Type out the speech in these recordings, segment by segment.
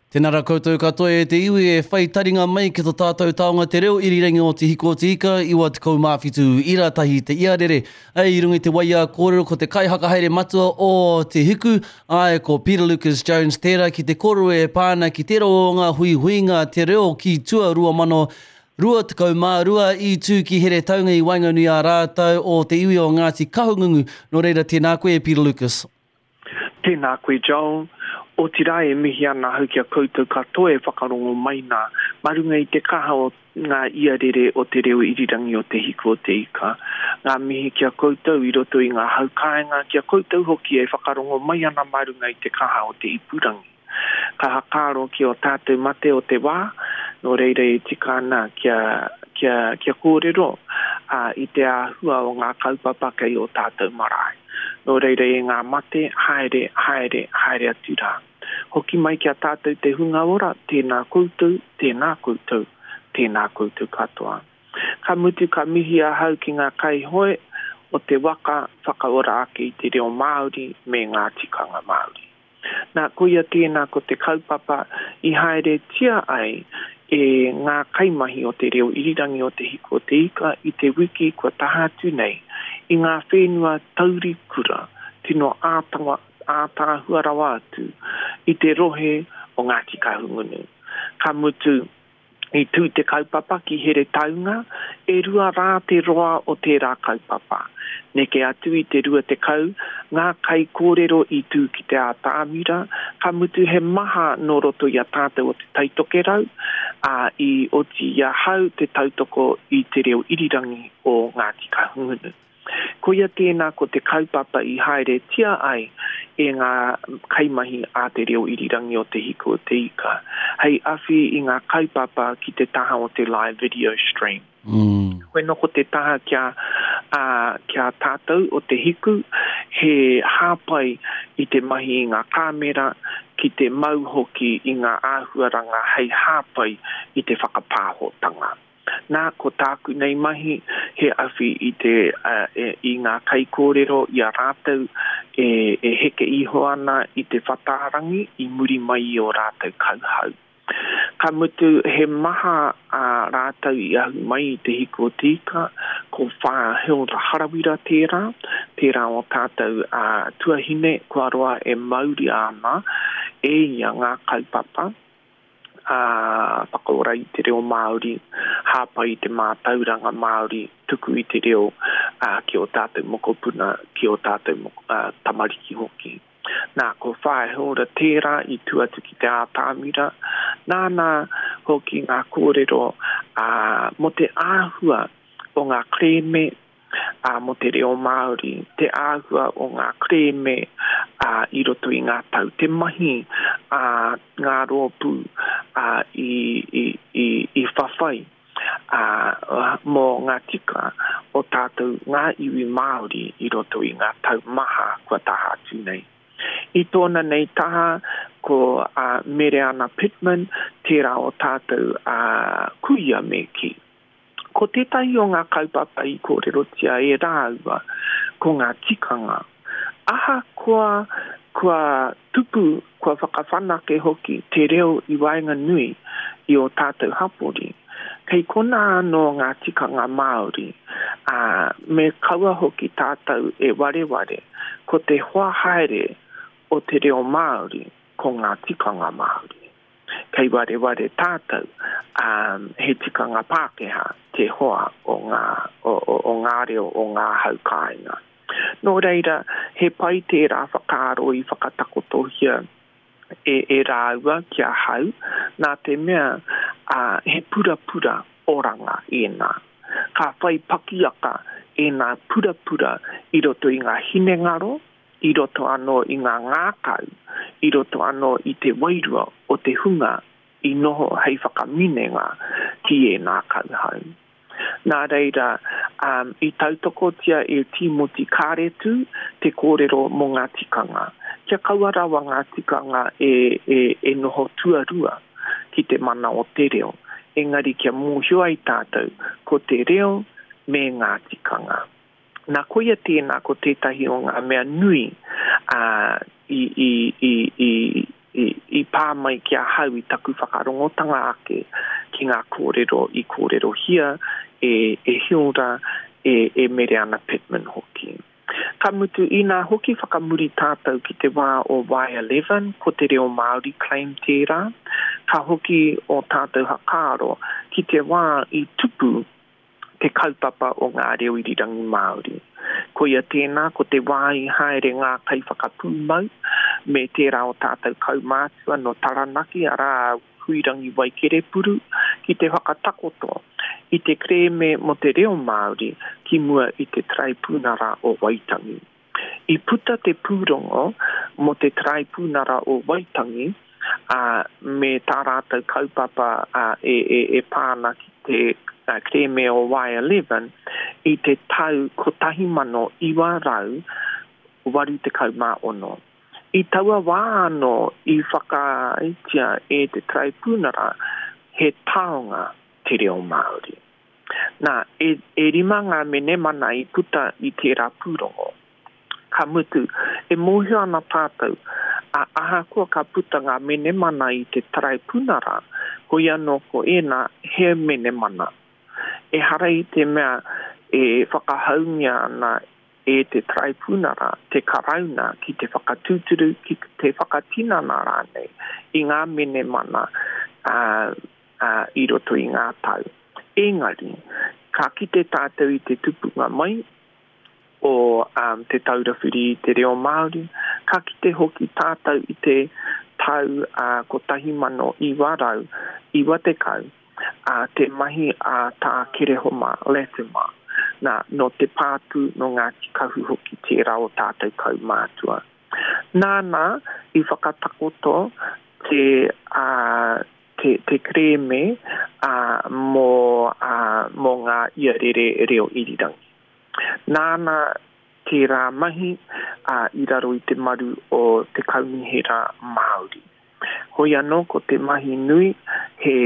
Tēnā rā koutou katoa e te iwi e whai taringa mai ki to tātou taonga te reo irirangi o Te Hiko o Te Ika, 97 ira tahi te iarere. Ai, i runga i te waiā kōrero ko te kaihakahaere matua o Te Hiku, āe ko Peter Lucas Jones tērā ki te kōrero e pā ana ki tērā o ngā huihuinga te reo ki tua 2022 i tū ki Heretaunga i waenganui a rātou o te iwi o Ngāti Kahungungu. Nō reira tēnā koe e Peter Lucas. Tēnā koe Joel, otirā e mihi ana ahau ki a koutou katoa e whakarongo mai nā, mā runga i te kaha o ngā iarere o te reo irirangi o Te Hiku o Te Ika. Ngā mihi ki a koutou i roto i ngā hau kāinga, ki a koutou hoki e whakarongo mai ana mā runga i te kaha o te ipurangi. Ka hakaaro ki ō tātou mate o te wā, nō reira e tika ana kia, kia, kia kōrero, ā, i te āhua o ngā kaupapa kei ō tātou marae. Nō reira e ngā mate, haere, haere, haere atu rā. Hoki mai ki a tātou te hunga ora, tēnā koutou, tēnā koutou, tēnā koutou katoa. Ka mutu ka mihi ahau ki ngā kaihoe o te waka whakaora ake i te reo Māori me ngā tikanga Māori. Nā, koia tēnā ko te kaupapa i haeretia ai e ngā kaimahi o te reo irirangi o Te Hiku o Te Ika i te wiki kua taha atu nei i ngā whenua taurikura tino ātaahua rawa atu i te rohe o Ngāti Kahungunu. Ka mutu, I tū te kaupapa ki Heretaunga, e rua rā te roa o tērā kaupapa. Neke atu i te 20 ngā kaikōrero i tū ki te ātamira, ka mutu he maha nō roto i a tātou o Te Taitokerau, ā, i oti i ahau te tautoko i te reo irirangi o Ngāti Kahungunu. Koia tēnā ko te kaupapa i haeretia ai e ngā kaimahi a Te Reo Irirangi o Te Hiku o Te Ika hei awhi i ngā kaupapa ki te taha o te live video stream. Koe nō ko te taha kia, ā, ki a tātou o Te Hiku, he hāpai i te mahi i ngā kāmera, ki te mau hoki i ngā āhuaranga hei hāpai i te whakapāhotanga. Nā, ko tāku nei mahi, he awhi i te, i ngā kaikōrero i a rātou e, e heke iho ana i te whatārangi i muri mai i ō rātou kauhau. Ka mutu, he maha ā rātou i ahu mai i Te Hiku o Te Ika, ko Whā Hilda Harawira tērā, tērā o tātou ā, tuahine kua roa e mauria ana e ia ngā kaupapa. ā, whakaora i te reo Māori, hāpai i te mātauranga Māori, tuku i te reo, ā, ki ō tātou mokopuna, ki ō tātou moko, ā, tamariki hoki. Nā, ko Whaea Hilda tērā i tū atu ki te ātamira, nāna hoki ngā kōrero, ā, mō te āhua o ngā kerēme, ā, mō te reo Māori, te āhua o ngā kerēme, ā, i roto i ngā tau, te mahi a ngā rōpū, ā, i, i, i, i whawhai, ā, mō ngā tika o tātou ngā iwi Māori i roto i ngā tau maha kua taha atu nei. I tōna nei taha ko a Mereana Pitman, tērā o tātou, ā, kuia me kī. Ko tētahi o ngā kaupapa i kōrerotia e rāua, ko ngā tikanga. Ahakoa kua tupu, kua whakawhanake hoki te reo i waenganui i ō tātou hapori, kei konā anō ngā tikanga Māori, ā, me kaua hoki tātou e wareware, ko te hoa haere o te reo Māori ko ngā tikanga Māori. Kei wareware tātou, ā, he tikanga Pākehā te hoa o ngā, o, o, o ngā reo o ngā hau kāinga. Nō reira, he pai tērā whakaaro i whakatakotohia e, e rāua ki ahau, nā te mea, ā, he purapura oranga ēnā. Ka whai pakiaka ēnā purapura i roto i ngā hinengaro, i roto anō i ngā ngākau, i roto anō i te wairua o te hunga i noho hei whakaminenga ki ēnā kauhau. Nā reira, um, i tautokotia e Tīmoti Kāretu te kōrero mō ngā tikanga. Kia kaua rawa ngā tikanga e, e, e noho tuarua ki te mana o te reo, engari kia mōhio ai tātou ko te reo me ngā tikanga. Nā, koia tēnā ko tētahi o ngā mea nui, ā, i, i, i, i, I, i pā mai ki ahau i taku whakarongotanga ake ki ngā kōrero i kōrerohia e, e Hilda, e, e Mereana Pitman hoki. Ka mutu, inā hoki whakamuri tātou ki te wā o Y11, ko te reo Māori claim tērā, ka hoki ō tātou hakaaro ki te wā i tupu te kaupapa o ngā reo irirangi Māori. Koia tēnā, ko te wā i haere ngā kaiwhakapūmau me tērā o tātou kaumātua nō Taranaki, arā, a Huirangi Waikerepuru, ki te whakatakoto i te kerēme mō te reo Māori ki mua i te Taraipunara o Waitangi. I puta te pūrongo mō te Taraipunara o Waitangi, ā, me tā rātou kaupapa e pā ana ki te kerēme o Y11 i te tau 1986. I taua wā anō i whakaaetia e te Taraipunara he taonga te reo Māori. Nā, e, e rima ngā menemana i puta i tērā pūrongo. Ka mutu, e mōhio ana tātou, a, ahakoa ka puta ngā menemana i te taraipunara, koia anō ko ēnā, he menemana. Ehara i te mea e whakahaungia ana e te taraipunara te Karauna ki te whakatūturu, ki te whakatinana rānei i ngā menemana, ā, ā, i roto i ngā tau. Engari, ka kite tātou i te tupunga mai o Te Taura Whiri i te Reo Māori, ka kite hoki tātou i te tau 1990, te mahi a Tā Kerehoma Latimer, nā, nō Te Pātū, nō Ngāti Kahu hoki tērā o tātou kaumātua. Nāna i whakatakoto te, te, te kerēme ā, mō, ā, mō ngā iarere reo irirangi. Nāna tērā mahi, ā, i raro i te maru o te Kaunihera Māori. Hoi anō ko te mahi nui he,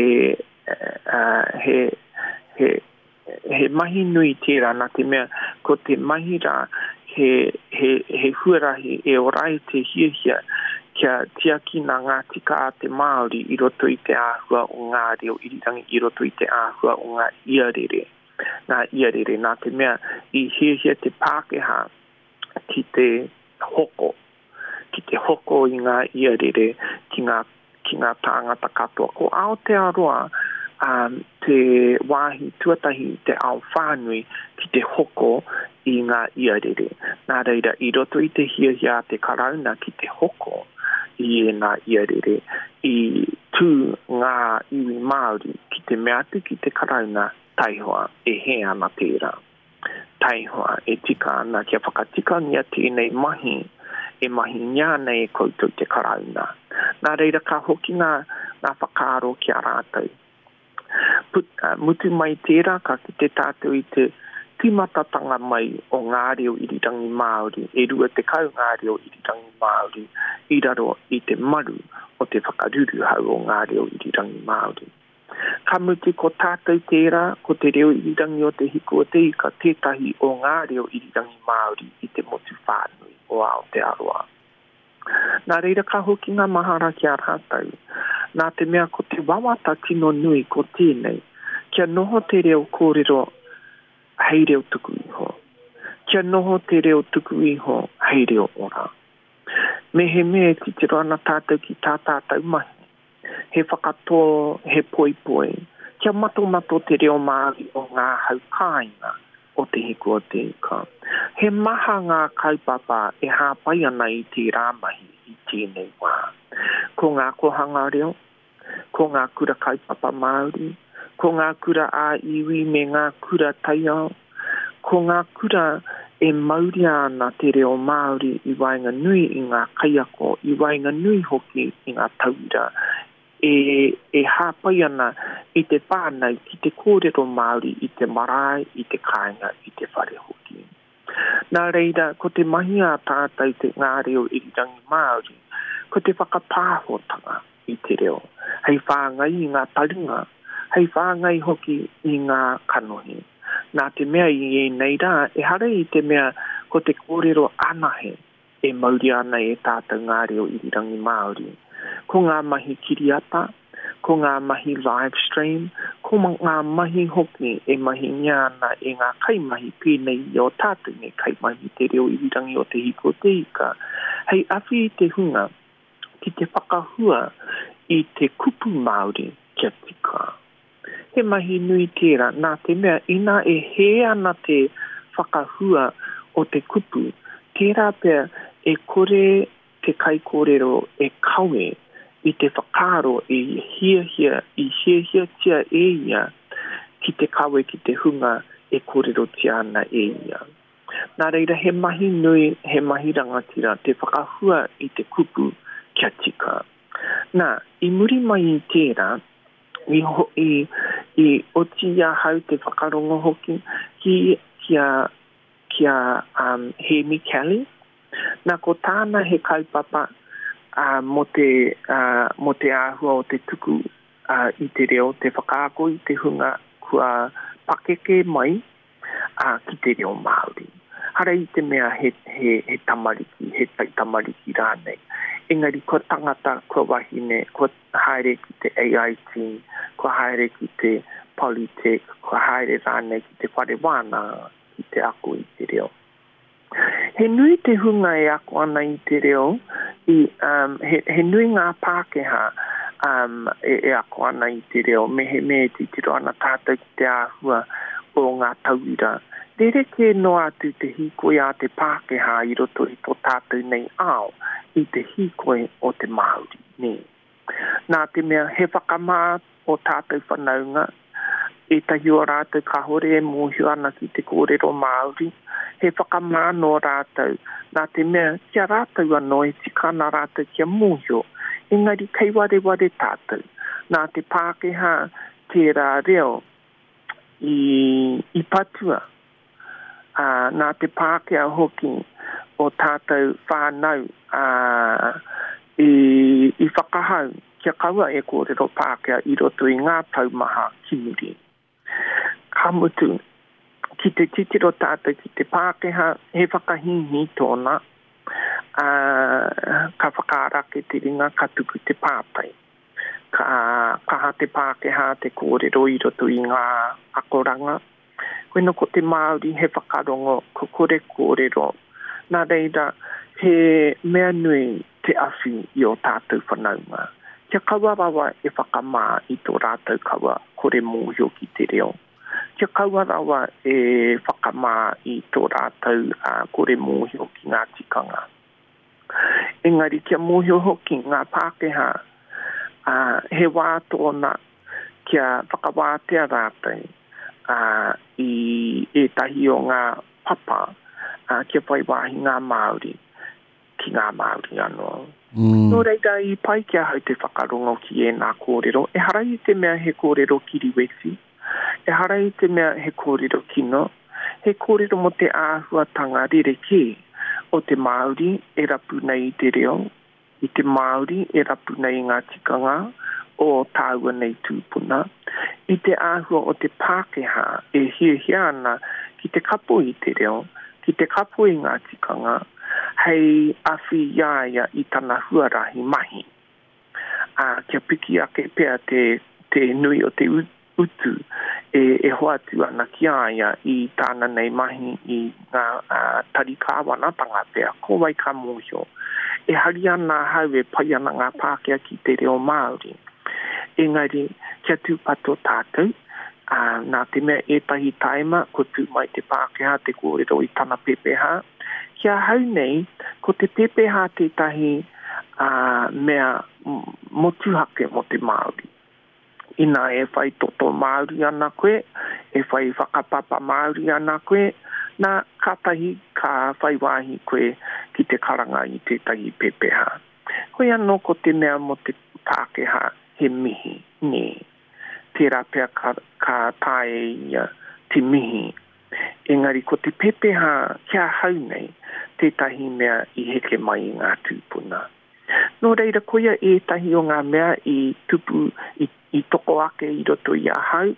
ā, he, he, He mahi nui tērā nā te mea ko te mahi rā he, he, he huarahi e ora ai te hiahia kia tiakina ngā tika a te Māori i roto i te āhua o ngā reo irirangi, i roto i te āhua o ngā iarere, ngā iarere nā te mea i hiahia te Pākehā ki te hoko ki te hoko i ngā iarere ki ngā, ki ngā tāngata katoa. Ko Aotearoa um, te wāhi tuatahi i te ao whānui ki te hoko i ngā iarere. Nā reira, i roto i te hiahia a te Karauna ki te hoko i ēnā iarere, i tū ngā iwi Māori ki te mea atu ki te Karauna, taihoa, e hē ana tērā. Taihoa, e tika ana kia whakatikangia tēnei mahi e mahingia ana e koutou te Karauna. Nā reira ka hoki ngā, ngā whakaaro ki a rātou. Put, mutu mai tērā ka kite tātou i te tīmatatanga mai o ngā reo irirangi Māori, e 20 ngā reo irirangi Māori i raro i te maru o te whakaruruhau o ngā reo irirangi Māori. Ka mutu ko tātou tērā, ko te reo irirangi o Te Hiku o Te Ika tētahi o ngā reo irirangi Māori i te motu whānui o Aotearoa. Nā reira ka hoki ngā mahara ki a rātou, nā te mea ko te wawata tino nui ko tēnei, kia noho te reo kōrero hei reo tuku iho, kia noho te reo tuku iho hei reo ora. Mehemea e titiro ana tātou ki tā tātou mahi, he whakatō, he poipoi, kia matomato te reo Māori o ngā hau kāinga o Te Hiku o Te Ika. He maha ngā kaupapa e hāpai ana i tērā mahi i tēnei wā. Ko ngā kohanga reo, ko ngā kura kaupapa Māori, ko ngā kura ā-iwi me ngā kura taiao, Ko ngā kura e mauria ana te reo Māori i waenganui i ngā kaiako, i waenganui hoki i ngā tauira, e, e hāpai ana i te whānau ki te kōrero Māori i te marae, i te kāinga, i te whare hoki. Nā reira, ko te mahi a tātou te ngā reo irirangi Māori, ko te whakapāhotanga i te reo, hei whāngai i ngā taringa, hei whāngai hoki i ngā kanohi. Nā te mea i ēnei rā, ehara i te mea ko te kōrero anahe e mauria ana e tātou ngā reo irirangi Māori. Ko ngā mahi kiriata, ko ngā mahi live stream, ko ngā mahi hoki e mahingia ana e ngā kaimahi pēnei i ō tātou nei kaimahi Te Reo Irirangi o Te Hiku o Te Ika, hei awhi i te hunga ki te whakahua i te kupu Māori kia tika. He mahi nui tērā, nā te mea inā e hē ana te whakahua o te kupu, tērā pea e kore te kaikōrero e kawe i te whakaaro i hiahia, i hiahiatia e ia ki te kawe ki te hunga e kōrerotia ana e ia. Nā reira he mahi nui, he mahi rangatira te whakahua i te kupu kia tika. Nā, i muri mai i tērā, i, i, i oti i ahau te whakarongo hoki ki, ki a, ki a um, Hēmi Kelly. Nā, ko tāna he kaupapa uh, mō te, uh, mō te āhua o te tuku uh, i te reo, te whakaako i te hunga kua pakeke mai ā, ki te reo Māori. Hara i te mea he, he, he tamariki, he taitamariki rānei. Engari kua tangata, kua wahine, kua haere ki te AIT, kua haere ki te Polytech, kua haere rānei ki te whare wānanga ki te ako i te reo. He nui te hunga e ako ana i te reo, i, um, he, he nui ngā Pākehā um, e, e ako ana i te reo, mehemea e titiro ana tātou ki te āhua o ngā tauira. Rerekē noa atu te hīkoi a te Pākehā i roto i tō tātou nei ao i te hīkoi o te Māori, nē. Nā te mea he whakamā ō tātou whanaunga, ētahi o rātou kāore e mōhio ana ki te kōrero Māori, he whakamā nō rātou, nā te mea ki a rātou anō e tika ana rātou kia mōhio, engari kei wareware tātou, nā te Pākehā tērā reo i, i patua. ā, nā te Pākehā hoki o tātou whānau, ā, i, i whakahau kia kaua e kōrero Pākehā i roto i ngā tau maha ki muri. Ka mutu, ki te titiro tātou ki te Pākehā, he whakahīhī tōna, ā, ka whakaara ake te ringa, ka tuku te pātai. Ka kaha te Pākehā te kōrero i roto i ngā akoranga. Koina ko te Māori he whakarongo, ko kore kōrero. Nā reira, he mea nui te awhi i ō tātou whanaunga. Kia kaua rawa e whakamā i tō rātou kawa kore mōhio ki te reo. Kia kaua rawa e whakamā i tō rātou kore mōhio ki ngā tikanga. Engari kia mōhio hoki ngā Pākehā, ā, he wā tōna kia whakawātea rātou, ā, i ētahi o ngā papa, ā, kia whai wāhi ngā Māori ki ngā Māori anō. Nō reira, i pai ki ahau te whakarongo ki ēnā kōrero, ehara i te mea he kōrero kiriweti, Ehara i te mea he kōrero kino, he kōrero mō te āhuatanga rerekē o te Māori e rapu nei i te reo, i te Māori e rapu nei i ngā tikanga o tāua nei tūpuna, i te āhua o te Pākehā e hiahia ana ki te kapo i te reo, ki te kapo i ngā tikanga, hei awhi i a ia i tana huarahi mahi. ā, kia piki ake pea te, te nui o te utu e, e hoatu ana ki a ia i tāna nei mahi i ngā tari kāwanatanga pea, ko wai ka mōhio. E hari ana ahau e pai ana ngā Pākehā ki te reo Māori. Engari, kia tūpato tātou, ā, nā te mea ētahi taima kua tū mai te Pākehā te kōrero i tana pepeha, ki ahau nei, ko te pepeha tētahi ā, mea motuhake mō te Māori. Inā e whai toto Māori ana koe, e whai whakapapa Māori ana koe, nā, kātahi ka whai wāhi koe ki te karanga i tētahi pepeha. Hoi anō ko te mea mō te Pākehā he mihi, nē. Tērā pea ka, ka taea e ia te mihi Engari ko te pepeha ki ahau nei tētahi mea i heke mai i ngā tūpuna. Nō reira koia ētahi o ngā mea i tupu, i, i toko ake i roto i ahau,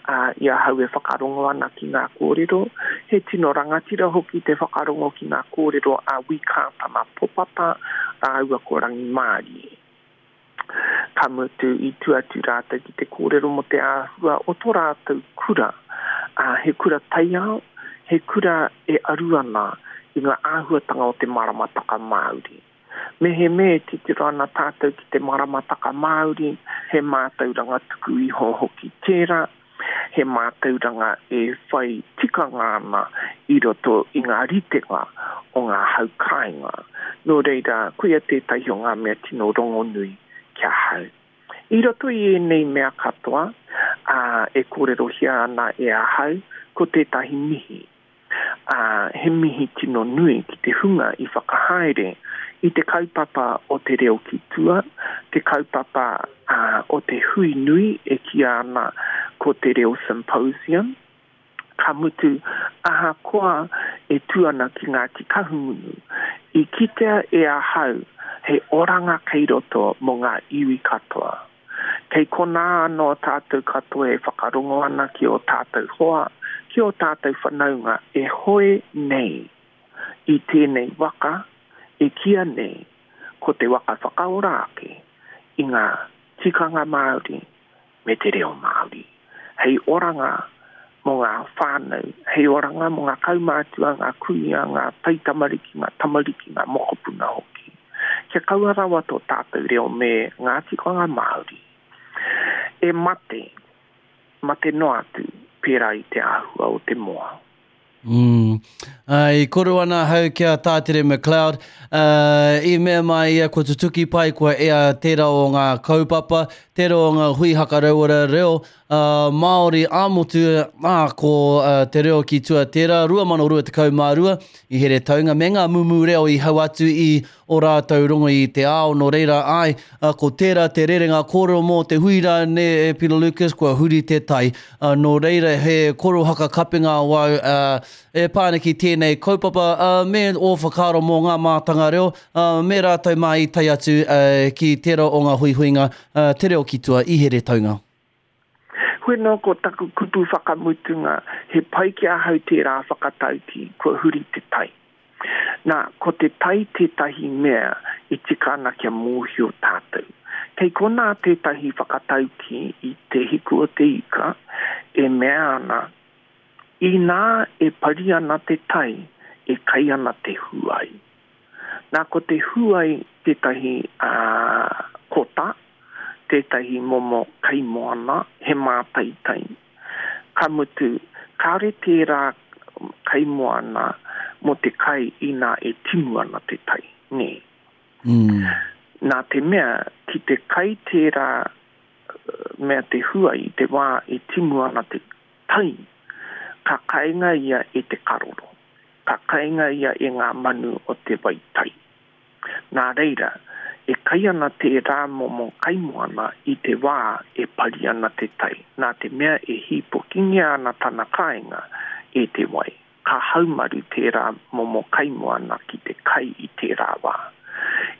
ā, i ahau e whakarongo ana ki ngā kōrero. He tino rangatira hoki te whakarongo ki ngā kōrero a Wī Kātana Popata rāua ko Rangimārie. Ka mutu, i tū atu rātou ki te kōrero mō te āhua o tō rātou kura, ā, he kura taiao, he kura e aru ana i ngā āhuatanga o te maramataka Māori. Mehemea e titiro ana tātou ki te maramataka Māori, he mātauranga tuku iho hoki tērā, he mātauranga e whai tikanga ana i roto i ngā ritenga o ngā hau kāinga. Nō reira, koia tētahi o ngā mea tino rongonui ki ahau. I roto i ēnei mea katoa, ā, e kōrerohia ana e ahau, ko tētahi mihi. ā, he mihi tino nui ki te hunga i whakahaere i te kaupapa o Te Reo ki Tua, te kaupapa o te hui nui e kīia ana ko Te Reo Symposium, ka mutu, ahakoa e tū ana ki Ngāti Kahungunu, i kitea e ahau he oranga kei roto mō ngā iwi katoa. Kei konā anō tātou katoa e whakarongo ana ki ō tātou hoa, ki ō tātou whanaunga e hoe nei i tēnei waka e kīia nei ko te waka whakaora ake i ngā tikanga Māori me te reo Māori hei oranga mō ngā whānau, hei oranga mō ngā kaumātua, ngā kuia, ngā taitamariki, ngā tamariki, ngā mokopuna hoki. Kia kaua rawa tō tātou reo me ngā tikanga Māori e mate, mate noa atu pērā i te āhua o te moa. Mm. I koro ana ahau ki a Tātere McLeod, uh, i mea mai ia kua tutuki pai, kua ea tērā o ngā kaupapa, tērā o ngā hui hakarauora reo uh, Māori ā-motu, ā, ko uh, Te Reo ki Tua tērā, 2022, i Heretaunga, me ngā mumu reo i hau atu i o rātou rongo i te ao, nō reira, āe, ko tērā te rerenga kōrero mō te hui rā, nē, e Peter Lucas, kua huri te tai. Nō reira, he koro hakakapenga awau e pā ana ki tēnei kaupapa me ō whakaaro mō ngā mātanga reo me rātou mā i tae atu ki tērā o ngā huihuinga Te Reo ki Tua i Heretaunga. Hoi nō ko taku kupu whakamutunga, he pai ki ahau tērā whakataukī, kua huri te tai. Nā, ko te tai tētahi mea e tika ana kia mōhio tātou. Kei konā tētahi whakataukī i Te Hiku o te Ika e mea ana, Inā e pari ana te tai, e kai ana te huai. Nā, ko te huai tētahi kota, tētahi momo kaimoana, he mātaitai. Ka mutu, kāore tērā kaimoana mō te kai inā e timu ana te tai, nē? Nā te mea, ki te kai tērā mea te hua i te wā e timu ana te tai, ka kainga ia e te karoro, ka kainga ia e ngā manu o te wai tai. Nā reira, e kai ana tērā momo kaimoana i te wā e pari ana te tai, nā te mea e hīpokingia ana tana kāinga e te wai, ka haumaru tērā momo kaimoana ki te kai i tērā wā.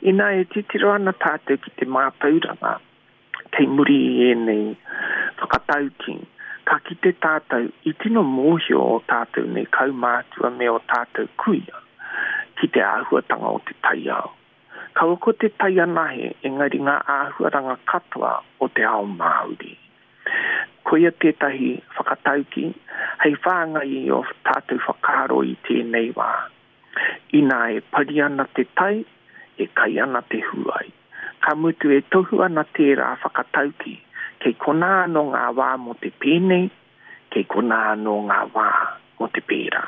Inā e titiro ana tātou ki te mātauranga kei muri i ēnei whakataukī, ka kite tātou i tino mōhio ō tātou nei kaumātua me ō tātou kuia ki te āhuatanga o te taiao. Kaua ko te tai anahe engari ngā āhuaranga katoa o te ao Māori. Koia tētahi whakataukī hei whāngai i ō tātou whakaaro i tēnei wā. Inā e pari ana te tai, e kai ana te huai. Ka mutu e tohu ana tērā whakataukī, kei konā anō ngā wā mō te pēnei, kei konā anō ngā wā mō te pērā.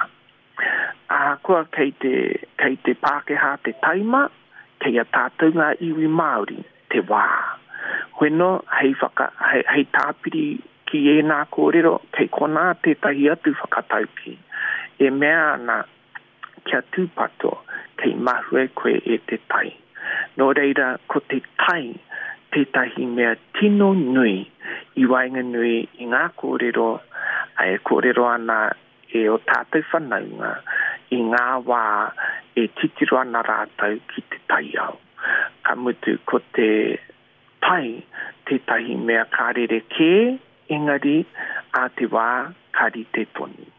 Ahakoa kei te, kei te Pākehā te taima, kei a tātou ngā iwi Māori te wā. Hoeno, hei whaka, hei, hei tāpiri ki ēnā kōrero, kei konā tētahi atu whakataukī e mea ana kia tūpato kei mahue koe e te tai. Nō reira, ko te tai tētahi mea tino nui i waenganui i ngā kōrero e kōrero ana e ō tātou whanaunga i ngā wā e titiro ana rātou ki te taiao. Ka mutu, ko te tai tētahi mea ka rerekē, engari ā te wā ka rite tonu.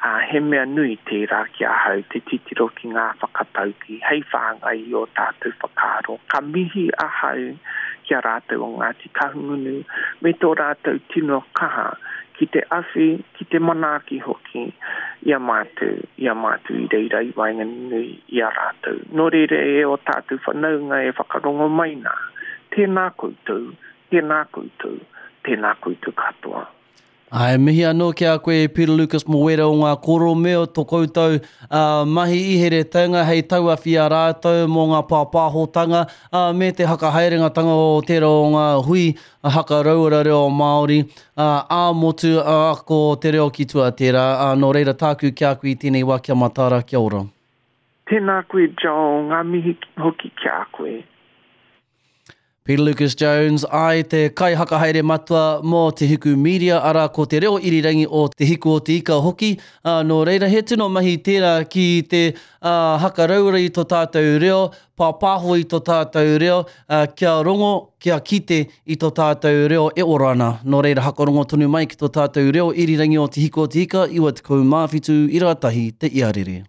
Ā, he mea nui tērā ki ahau te titiro ki ngā whakataukī hei whāngai i ō tātou whakaaro. Ka mihi ahau ki. ki a rātou o Ngāti Kahungunu me tō rātou tino kaha ki te awhi, ki te manaaki hoki i a mātou, i a mātou i reira i waenganui i a rātou. Nō reira e ō tātou whanaunga e whakarongo mai nā, tēnā koutou, tēnā koutou, tēnā koutou katoa. Ā, e mihi anō ki a koe e Peter Lucas mō wērā o ngā kōrero me o tō koutou mahi i Heretaunga hei tauawhi i a rātou mō ngā pāpāhotanga, ā, me te hakahaerengatanga o tērā o ngā hui haka rauora reo Māori, ā, ā-motu, ā, ko te reo ki tua tērā. Ā, nō reira tāku ki a koe i tēnei wā kia mataara, kia ora. Tēnā koe Joel, ngā mihi hoki ki a koe. Peter Lucas Jones, āe, te kaihakahaere matua mō Te Hiku Media, arā, ko te reo irirangi o Te Hiku o Te Ika hoki, ā, nō reira, he tino mahi tērā ki te, ā, hakarauora i tō tātou reo, pāpāho i tō tātou reo, ā, kia rongo, kia kite i tō tātou reo e ora ana. Nō reira, hakarongo tonu mai ki tō tātou reo irirangi o Te Hiku o Te Ika, 97 ira tahi te iarere.